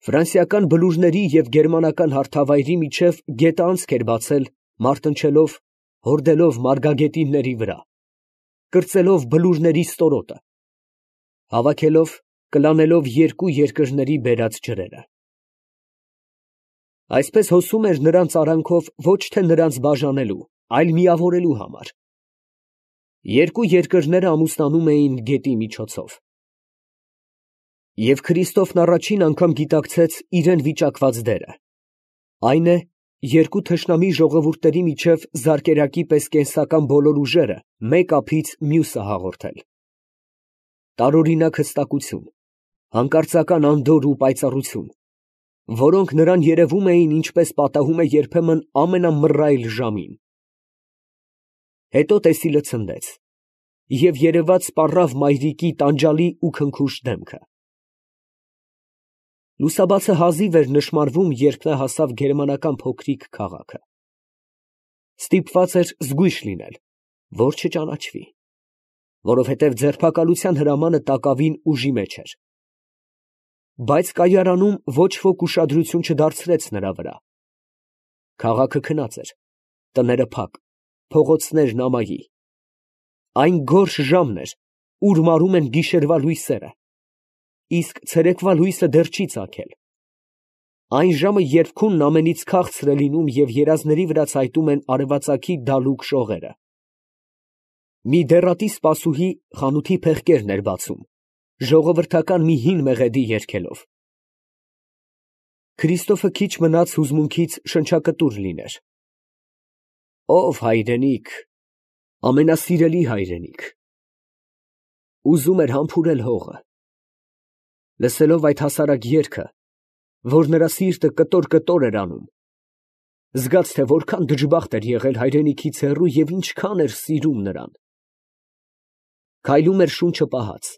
Ֆրանսիական բլուրների և գերմանական հարթավայրի միջև գետանցք էր բացել, մարտնչելով, հորդելով մարգագետինների վրա, կրծելով բլուրների ստորոտը, հավաքելով, կլանելով երկու երկրների բերած ջրերը։ Այսպես հոսում էր նրանց արանքով ոչ թե նրանց բաժանելու, այլ միավորելու համար։ Երկու երկրները ամուսնանում էին գետի միջոցով։ Եվ Քրիստոֆն առաջին անգամ գիտակցեց իրան վիճակված դերը, այն է, երկու թշնամի ժողովուրդների միջև զարկերակի պես կենսական բոլոր ուժերը մեկ ափից մյուսը հաղորդել։ Տարօրինակ հստակություն, հանկարծական անդորր ու պայծառություն, որոնք նրան երևում էին ինչպես պատահում է երբեմն ամենամռայլ ժամին։ Հետո տեսիլը ցնդեց, և երևաց սպառավ մայրիկի տանջալի ու քնքուշ դեմքը։ Լուսաբացը հազիվ էր նշմարվում, երբ նա հասավ գերմանական փոքրիկ քաղաքը։ Ստիպված էր զգույշ լինել, որ չճանաչվի, որովհետև ձերբակալության հրամանը տակավին ուժի մեջ էր։ Բայց կայարանում ոչ ոք ուշադրություն չդարձրեց նրա վրա։ Քաղաքը քնած էր, տները փակ, փողոցներն ամայի։ Այն գորշ ժամն էր, ուր մարում են գիշերվա լույսերը, իսկ ցերեկվա լույսը դեռ չի ծագել։ Այն ժամը, երբ քունն ամենից քաղցր է լինում և երազների վրա ցայտում են արևածագի դալուկ շողերը։ Մի դեռատի սպասուհի խանութի փեղկերն էր բացում, ժողովրդական մի հին մեղեդի երգելով։ Քրիստոֆը քիչ մնաց հուզմունքից շնչակտուր լիներ։ Ով հայրենիք, ամենասիրելի հայրենիք, ուզում էր համբուրել հողը։ Լսելով այդ հասարակ երգը, որ նրա սիրտը կտոր էր անում, զգաց, թե որքան դժբախտ էր եղել հայրենիքից հեռու և ինչքան էր սիրում նրան։ Քայլում էր շունչը պահած։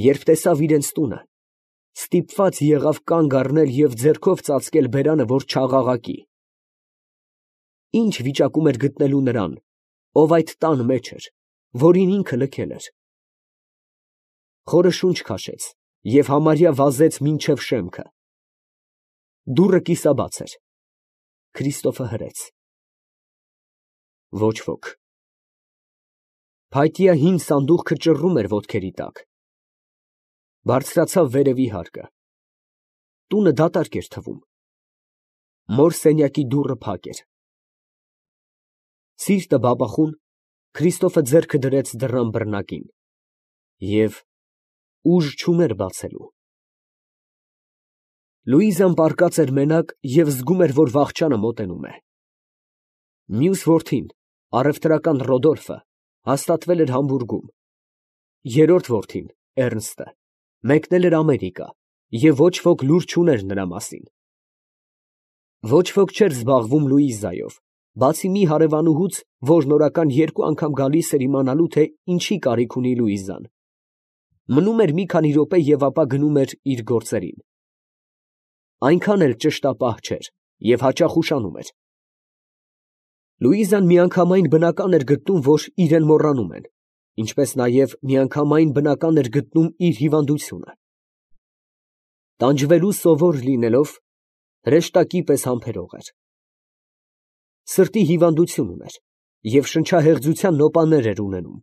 Երբ տեսավ իրենց տունը, ստիպված եղավ կանգ առնել և ձեռքով ծածկել բերանը, որ չաղաղակի։ Ինչ վիճակում էր գտնելու նրան, ով այդ տան մեջ էր, որին ինքը լքել էր։ Խորը շունչ քաշեց և համարյա վազեց մինչև շեմքը։ Դուռը կիսաբաց էր։ Քրիստոֆը հրեց։ Ոչ ոք։ Փայտյա հին սանդուղքը ճռռում էր ոտքերի տակ։ Բարձրացավ վերևի հարկը։ Տունը դատարկ էր թվում։ Մոր սենյակի դուռը փակ էր։ Սիրտը բաբախուն, Քրիստոֆը ձեռքը դրեց դռան բռնակին և ուժ չուներ բացելու։ Լուիզան պառկած էր մենակ և զգում էր, որ վախճանը մոտենում է։ Մյուս որդին, առևտրական Ռոդոլֆը, հաստատվել էր Համբուրգում։ Երրորդ որդին, Էռնստը, մեկնել էր Ամերիկա, և ոչ ոք լուր չուներ նրա մասին։ Ոչ ոք չէր զբաղվում Լուիզայով, բացի մի հարևանուհուց, որ նորական 2 անգամ գալիս էր իմանալու, թե ինչի կարիք ունի Լուիզան։ Մնում էր մի քանի րոպե և ապա գնում էր իր գործերին։ Այնքան էլ ճշտապահ չէր և հաճախ ուշանում էր։ Լուիզան միանգամայն բնական էր գտնում, որ իրեն մոռանում են, ինչպես նաև միանգամայն բնական էր գտնում իր հիվանդությունը։ Տանջվելու սովոր լինելով, հրեշտակի պես համբերող էր։ Սրտի հիվանդություն ուներ և շնչահեղձության նոպաներ էր ունենում։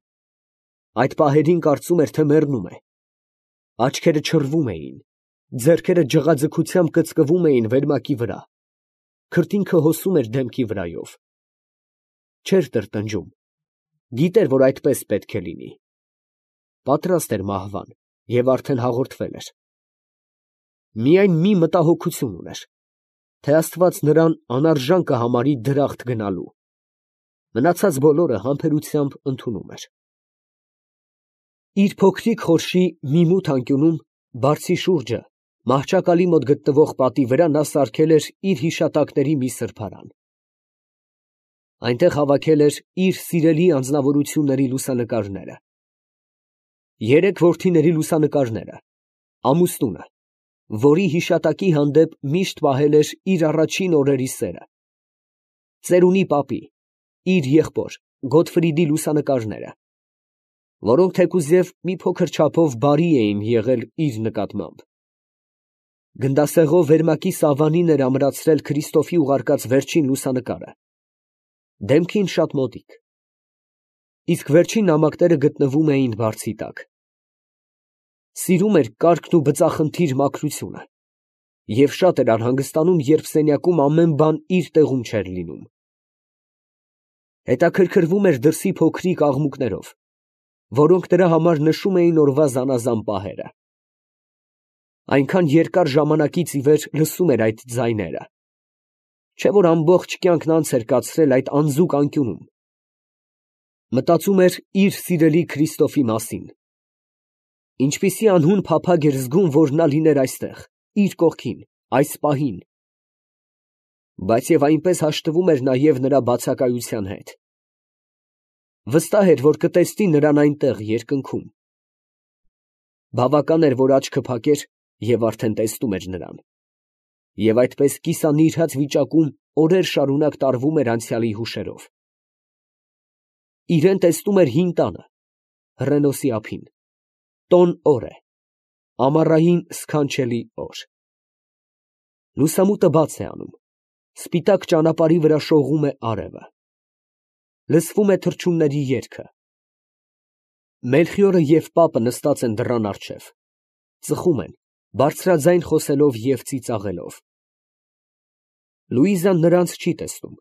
Այդ պահերին կարծում էր, թե մեռնում է։ Աչքերը չռվում էին, ձեռքերը ջղաձգությամբ կծկվում էին վերմակի վրա, քրտինքը հոսում էր դեմքի վրայով։ Չէր տրտնջում, գիտեր, որ այդպես պետք է լինի։ Պատրաստ էր մահվան և արդեն հաղորդվել էր։ Միայն մի մտահոգություն ուներ, թե Աստված նրան անարժան կհամարի դրախտ գնալու։ Մնացած բոլորը համբերությամբ ընդունում էր։ Իր փոքրիկ խորշի մի մութ անկյունում, բարձի շուրջը, մահճակալի մոտ գտնվող պատի վրա նա սարքել էր իր հիշատակների մի սրբարան։ Այնտեղ հավաքել էր իր սիրելի անձնավորությունների լուսանկարները։ 3 որդիների լուսանկարները, ամուսնունը, որի հիշատակի հանդեպ միշտ պահել էր իր առաջին օրերի սերը, ծերունի պապի, իր եղբոր Գոտֆրիդի լուսանկարները, որոնք թեկուզև մի փոքր չափով բարի էին եղել իր նկատմամբ։ Գնդասեղով վերմակի սավանին էր ամրացրել Քրիստոֆի ուղարկած վերջին լուսանկարը, դեմքին շատ մոտիկ, իսկ վերջին նամակները գտնվում էին բարձի տակ։ Սիրում էր կարգն ու բծախնդիր մաքրությունը և շատ էր անհանգստանում, երբ սենյակում ամեն բան իր տեղում չէր լինում։ Հետաքրքրվում էր դրսի փոքրիկ աղմուկներով, որոնք նրա համար նշում էին օրվա զանազան պահերը։ Այնքան երկար ժամանակից ի վեր լսում էր այդ ձայները, չէ՞ որ ամբողջ կյանքն անց էր կացրել այդ անձուկ անկյունում։ Մտածում էր իր սիրելի Քրիստոֆի մասին։ Ինչպիսի անհուն փափագ էր զգում, որ նա լիներ այստեղ, իր կողքին, այս պահին։ Բայց և այնպես հաշտվում էր նաև նրա բացակայության հետ։ Վստահ էր, որ կտեսնի նրան այնտեղ, երկնքում։ Բավական էր, որ աչքը փակեր և արդեն տեսնում էր նրան։ Եվ այդպես կիսանիրհած վիճակում օրեր շարունակ տարվում էր անցյալի հուշերով։ Իրան տեսնում էր հին տանը, հռենոսի ափին, տոն օր է, ամառային սքանչելի օր։ Լուսամուտը բաց է անում, սպիտակ ճանապարհի վրա շողում է արևը, լսվում է թռչունների երգը։ Մելխիորը և պապը նստած են դռան առջև, ծխում են, բարձրաձայն խոսելով և ծիծաղելով։ Լուիզան նրանց չի տեսնում,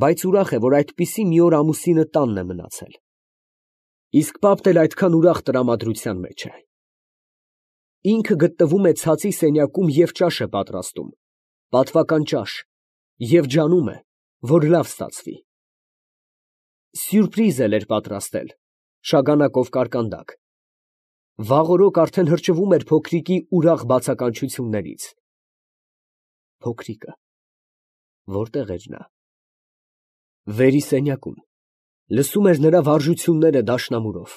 բայց ուրախ է, որ այդպիսի մի օր ամուսինը տանն է մնացել։ Իսկ պապն էլ այդքան ուրախ տրամադրության մեջ է։ Ինքը գտնվում է ցածի սենյակում և ճաշ է պատրաստում, պատվական ճաշ, և ջանում է, որ լավ ստացվի։ Սյուրպրիզ էլ էր պատրաստել, շագանակով կարկանդակ։ Վաղօրոք արդեն հրճվում էր փոքրիկի ուրախ բացականչություններից։ Փոքրիկը… որտե՞ղ էր նա։ Վերիսենյակում, լսում էր նրա վարժությունները դաշնամուրով։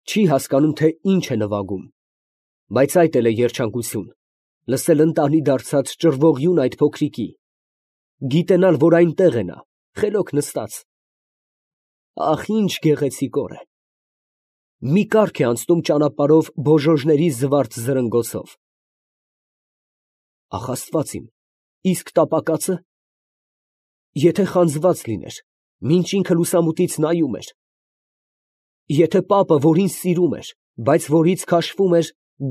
Չի հասկանում, թե ինչ է նվագում, բայց այդ էլ է երջանկություն, լսել ընտանի դարձած ճռվողյուն այդ փոքրիկի, գիտենալ, որ այնտեղ է նա, խելոք նստած։ Ահ, ինչ գեղեցիկ օր է։ Մի կառք է անցնում ճանապարհով բոժոժների զվարթ զրնգոցով։ Ախ, Աստված իմ, իսկ տապակածը… Եթե խանձված լիներ, մինչ ինքը լուսամուտից նայում էր… Եթե պապը, որ ինձ սիրում էր, բայց որից քաշվում էր,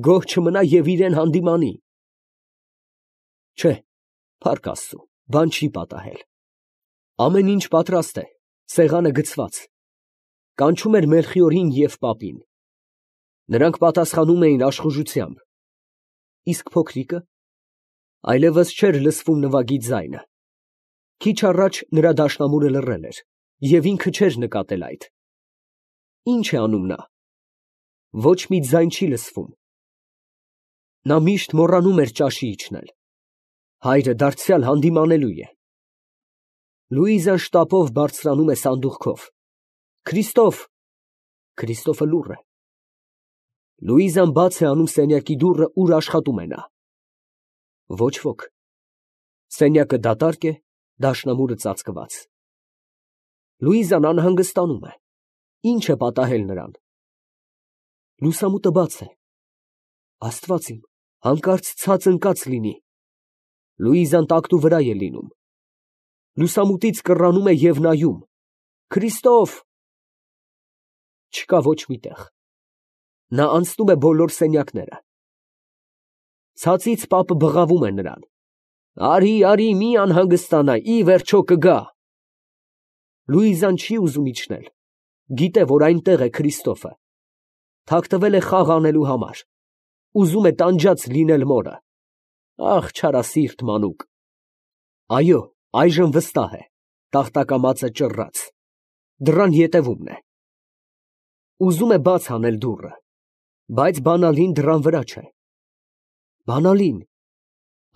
գոհ չմնա և իրան հանդիմանի… Չէ, փառք Աստծու, բան չի պատահել։ Ամեն ինչ պատրաստ է, սեղանը գցված։ Կանչում էր Մելխիորին և պապին։ Նրանք պատասխանում էին աշխուժությամբ։ Իսկ փոքրիկը… այլևս չէր լսվում նվագի ձայնը։ Քիչ առաջ նրա դաշնամուրը լռել էր, և ինքը չէր նկատել այդ։ Ի՞նչ է անում նա։ Ոչ մի ձայն չի լսվում։ Նա միշտ մոռանում էր ճաշի իջնել։ Հայրը դարձյալ հանդիմանելու է։ Լուիզան շտապով բարձրանում է սանդուղքով։ Քրիստո՛ֆ… Քրիստոֆը լուռ է։ Լուիզան բաց է անում սենյակի դուռը, ուր աշխատում է նա։ Ոչ ոք։ Սենյակը դատարկ է, դաշնամուրը ծածկված։ Լուիզան անհանգստանում է։ Ի՞նչ է պատահել նրան։ Լուսամուտը բաց է։ Աստված իմ, հանկարծ ցած ընկած լինի։ Լուիզան տակտու վրա է լինում։ Լուսամուտից կռանում է և նայում։ Քրիստո՛ֆ… Չկա ոչ մի տեղ։ Նա անցնում է բոլոր սենյակները։ Ցածից պապը բղավում է նրան. Արի, արի, մի անհանգստանա, ի վերջո կգա։ Լուիզան չի ուզում իջնել, գիտե, որ այնտեղ է Քրիստոֆը, թաքնվել է խաղ անելու համար, ուզում է տանջած լինել մորը։ Ախ, չարասիրտ մանուկ։ Այո, այժմ վստահ է, տախտակամածը ճռռաց, դռան ետևումն է։ Ուզում է բաց անել դուռը, բայց բանալին դռան վրա չէ։ Բանալին…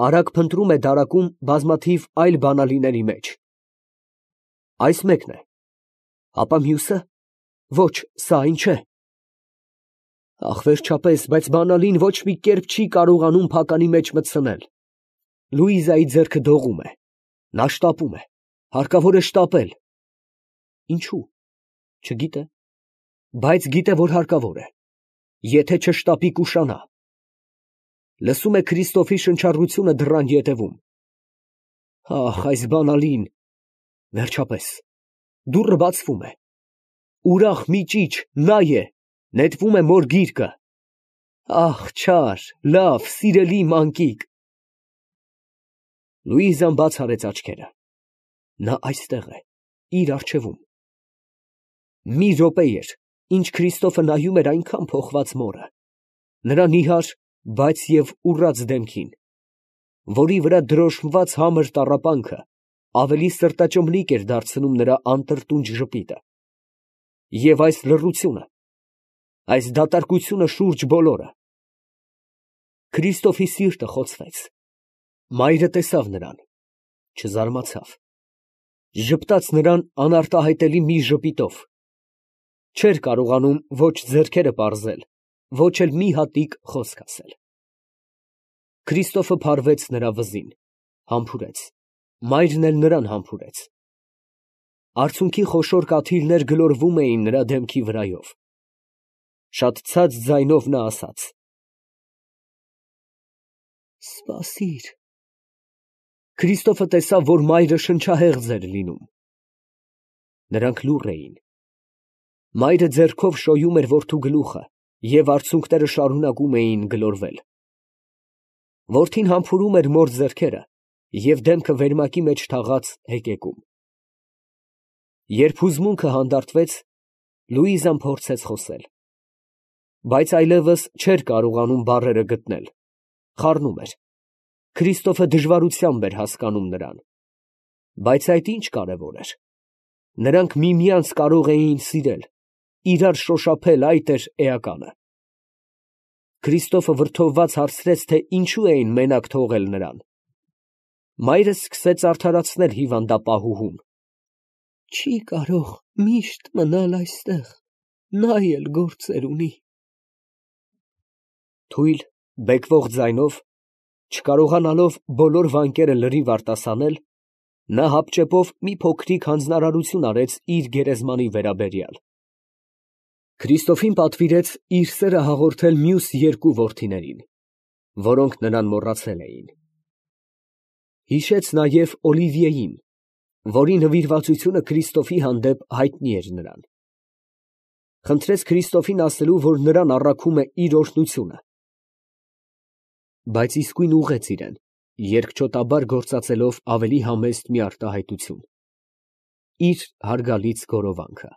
Արագ փնտրում է դարակում բազմաթիվ այլ բանալիների մեջ։ Այս մեկն է, ապա մյուսը… Ոչ, սա այն չէ։ Ախ, վերջապես, բայց բանալին ոչ մի կերպ չի կարողանում փականի մեջ մտցնել։ Լուիզայի ձեռքը դողում է։ Նա շտապում է, հարկավոր է շտապել։ Ինչո՞ւ։ Չգիտե, բայց գիտե, որ հարկավոր է։ Եթե չշտապի, կուշանա։ Լսում է Քրիստոֆի շնչառությունը դռան ետևում։ Ահ, այս բանալին։ Վերջապես, դուռը բացվում է։ Ուրախ մի ճիչ, նա է, նետվում է մոր գիրկը։ Ահ, չար, լավ, սիրելի մանկիկ։ Լուիզան բաց արեց աչքերը։ Նա այստեղ է, իր առջևում։ Մի րոպե էր, ինչ Քրիստոֆը նայում էր այնքան փոխված մորը, նրա նիհար, բայց և ուռած դեմքին, որի վրա դրոշմված համր տառապանքը ավելի սրտաճմլիկ էր դարձնում նրա անտրտունջ ժպիտը։ Եվ այս լռությունը, այս դատարկությունը շուրջ բոլորը։ Քրիստոֆի սիրտը խոցվեց։ Մայրը տեսավ նրան, չզարմացավ, ժպտաց նրան անարտահայտելի մի ժպիտով, չէր կարողանում ոչ ձեռքերը պարզել, ոչ էլ մի հատիկ խոսք ասել։ Քրիստոֆը փարվեց նրա վզին, համբուրեց, մայրն էլ նրան համբուրեց։ Արցունքի խոշոր կաթիլներ գլորվում էին նրա դեմքի վրայով։ Շատ ցած ձայնով նա ասաց. «Սպասիր»։ Քրիստոֆը տեսավ, որ մայրը շնչահեղձ էր լինում։ Նրանք լուռ էին։ Մայրը ձեռքով շոյում էր որդու գլուխը, և արցունքները շարունակում էին գլորվել։ Որդին համբուրում էր մոր ձեռքերը և դեմքը վերմակի մեջ թաղած հեկեկում։ Երբ հուզմունքը հանդարտվեց, Լուիզան փորձեց խոսել, բայց այլևս չէր կարողանում բառերը գտնել, խառնում էր։ Քրիստոֆը դժվարությամբ էր հասկանում նրան, բայց այդ ինչ կարևոր էր։ Նրանք միմյանց կարող էին սիրել, իրար շոշափել, այդ էր էականը։ Քրիստոֆը վրդովված հարցրեց, թե ինչու էին մենակ թողել նրան։ Մայրը սկսեց արդարացնել հիվանդապահուհուն։ Չի կարող միշտ մնալ այստեղ, նա էլ գործեր ունի։ Թույլ, բեկվող ձայնով, չկարողանալով բոլոր վանկերը լրիվ արտասանել, նա հապճեպով մի փոքրիկ հանձնարարություն արեց իր գերեզմանի վերաբերյալ։ Քրիստոֆին պատվիրեց իր սերը հաղորդել մյուս երկու որդիներին, որոնք նրան մոռացել էին։ Հիշեց նաև Օլիվիեին, որի նվիրվածությունը Քրիստոֆի հանդեպ հայտնի էր նրան։ Խնդրեց Քրիստոֆին ասելու, որ նրան առաքում է իր օրհնությունը, բայց իսկույն ուղղեց իրան, երկչոտաբար գործածելով ավելի համեստ մի արտահայտություն՝ իր հարգալից գորովանքը։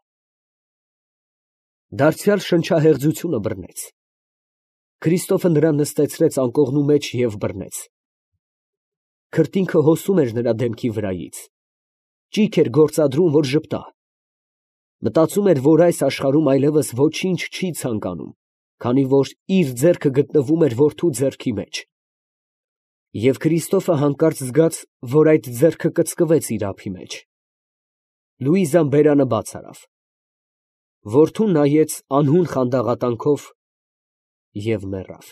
Դարձյալ շնչահեղձությունը բռնեց։ Քրիստոֆը նրան նստեցրեց անկողնու մեջ և բռնեց։ Քրտինքը հոսում էր նրա դեմքի վրայից, ճիգ էր գործադրում, որ ժպտա։ Մտածում էր, որ այս աշխարհում այլևս ոչինչ չի ցանկանում, քանի որ իր ձեռքը գտնվում էր որդու ձեռքի մեջ։ Եվ Քրիստոֆը հանկարծ զգաց, որ այդ ձեռքը կծկվեց իր ափի մեջ։ Լուիզան բերանը բաց արավ։ Որդուն նայեց անհուն խանդաղատանքով և մեռավ։